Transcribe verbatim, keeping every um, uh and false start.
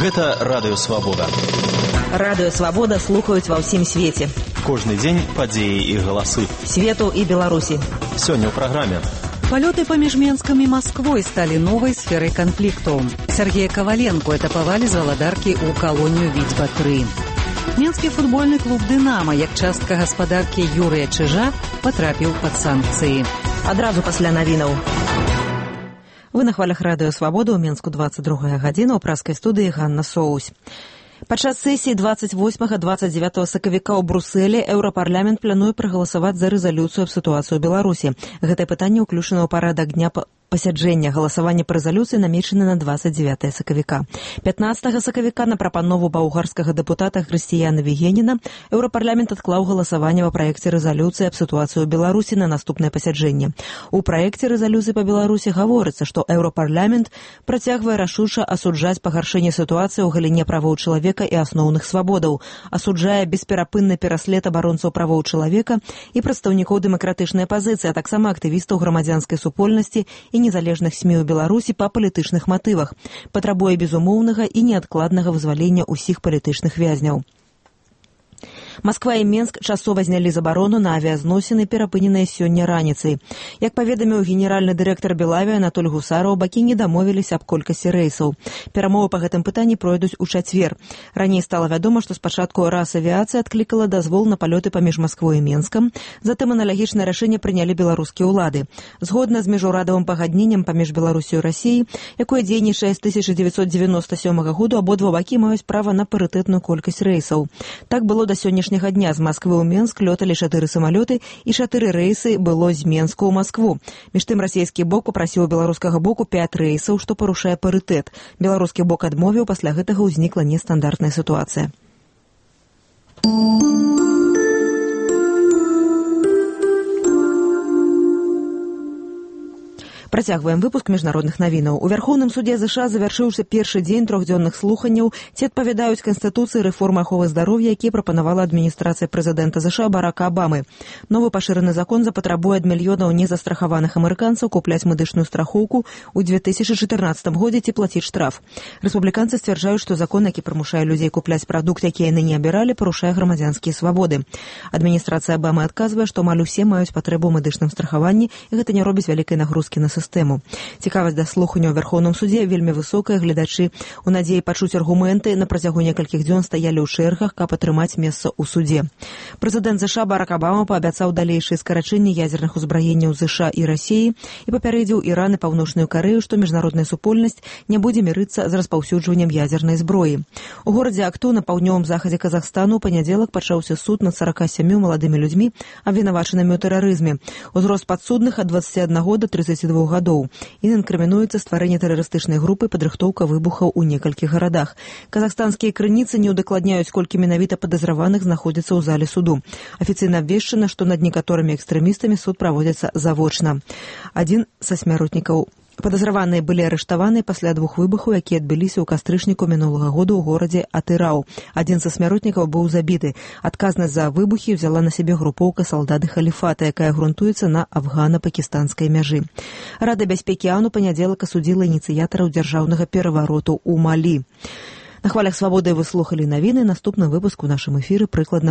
Гэта Радыё Свабода. Радыё Свабода слухаюць ва ўсім свеце. Кожны дзень падзеі і галасы. Свету і Беларусі. Сёння ў праграме. Палёты паміж Менскам і Масквой сталі новай сферай канфлікту. Сергея Коваленко этапавалі з валадаркі ў калонію Віцьба тры. Менскі футбольны клуб «Дынама», як частка гаспадаркі Юрыя Чыжа, патрапіў пад санкцыі. Адразу пасля навінаў. Вы на хвалях Радыё Свабода, ў Менску двадцать другая гадзіна, ў праскай студыі Ганна Соусь. Падчас сесіі двадцать восьмага - двадцать девятага сакавіка ў Брусэлі Еўрапарламент плануе прагаласаваць за рэзалюцыю аб сітуацыі ў Беларусі. Гэтае пытанне ўключана ў парадак дня пасяджэння. Галасаванне па рэзалюцыі намечана на двадцать девятага сакавіка. пятнадцатага сакавіка на прапанову баўгарскага дэпутата Хрысціяна Вігеніна Еўрапарламент адклаў галасаванне па праекце рэзалюцыі аб сітуацыі ў Беларусі на наступнае пасяджэнне. У праекце рэзалюцыі па Беларусі гаворыцца, што Еўрапарламент працягвае рашуча асуджаць пагаршэнне сітуацыі ў галіне правоў чалавека і асноўных свабодаў, асуджае бесперапынны пераслед абаронцаў правоў чалавека і прадстаўнікоў дэмакратычнай пазіцыі, а таксама актывістаў грамадзянскай супольнасці і незалежных СМІ ў Беларусі па палітычных матывах, патрабуе безумоўнага і неадкладнага вызвалення ўсіх палітычных вязняў. Масква і Менск часова знялі забарону на авіязносіны, перапыненыя сёння раніцай. Як паведаміў генеральны дырэктар Белаві Анатоль Гусараў, бакі не дамовіліся аб колькасці рэйсаў. Перамовы па гэтым пытанні пройдуць у чацвер. Раней стала вядома, што спачатку Расавіяцыя адклікала дазвол на палёты паміж Масквой і Менскам, затым аналагічнае рашэнне прынялі беларускія ўлады. Згодна з міжнародным пагадненнем паміж Беларусю і Расіяй, якое дзейнічае з тысяча дзевяцьсот девяносто сёмага году, абодва бакі маюць права на парытэтную колькасць рэйсаў. Так было да сённяшняга дня. З Масквы ў Менск лёталі чатыры самалёты і чатыры рэйсы было з Менску ў Маскву. Між тым расійскі бок папрасіў беларускага боку пяць рэйсаў, што парушае парытэт. Беларускі бок адмовіў, пасля гэтага ўзнікла нестандартная сітуацыя. Працягваем выпуск міжнародных навінаў. У Вярхоўным судзе ЗША завяршыўся першы дзень трохдзённых слуханняў, ці адпавядаюць Канстытуцыі рэформы аховы здароўя, які прапанавала адміністрацыя прэзідэнта ЗША Барака Абамы. Новы пашыраны закон запатрабуе ад мільёнаў незастрахаваных амерыканцаў купляць медычную страхоўку ў две тысячы чатырнаццатым годзе ці плаціць штраф. Рэспубліканцы сцвярджаюць, што закон, які прымушае людзей купляць прадукт, які яны не абіралі, парушае грамадзянскія свабоды. Адміністрацыя Абамы адказвае, што амаль усе маюць патрэбу ў медычным страхаванні, і гэта не робіць вялікай нагрузкі на сістэму. Цікавасць да слухання ў Вярхоўным судзе вельмі высокая. Гледачы у надзеі пачуць аргументы на працягу некалькіх дзён стаялі ў чэргах, каб атрымаць месца ў судзе. Прэзідэнт ЗША Барак Абама паабяцаў далейшыя скарачэнні ядзерных узбраенняў ЗША і Расіі і папярэдзіў Іран і Паўночную Карэю, што міжнародная супольнасць не будзе мірыцца з распаўсюджваннем ядзернай зброі. У горадзе Акту на паўднёвым захадзе Казахстану ў панядзелак пачаўся суд над сарака сямю маладымі людзьмі, абвінавачанымі ў тэрарызме. Узрост падсудных ад дваццаці аднаго да трыццаці двух гадоў. І інкрымінуецца стварэнне тэрарыстычнай групы, падрыхтоўка выбухаў у некалькіх гарадах. Казахстанскія крыніцы не ўдакладняюць, колькі менавіта падазраваных знаходзіцца ў зале суду. Афіцыйна абвешчана, што над некаторымі экстрэмістамі суд праводзіцца завочна. Адзін са смяротнікаў падазраваныя былі арыштаваны пасля двух выбухаў, якія адбыліся ў кастрычніку мінулага года ў горадзе Атырау. Адзін са смяротнікаў быў забіты. Адказнасць за выбухі ўзяла на сябе групоўка салдаты халіфата, якая грунтуецца на афгана-пакістанскай мяжы. Рада бяспекі АОН у панядзелак асудзіла ініцыятараў дзяржаўнага перавароту ў Малі. На хвалях Свабоды вы слухалі навіны. Наступны выпуск у нашым эфіры прыкладна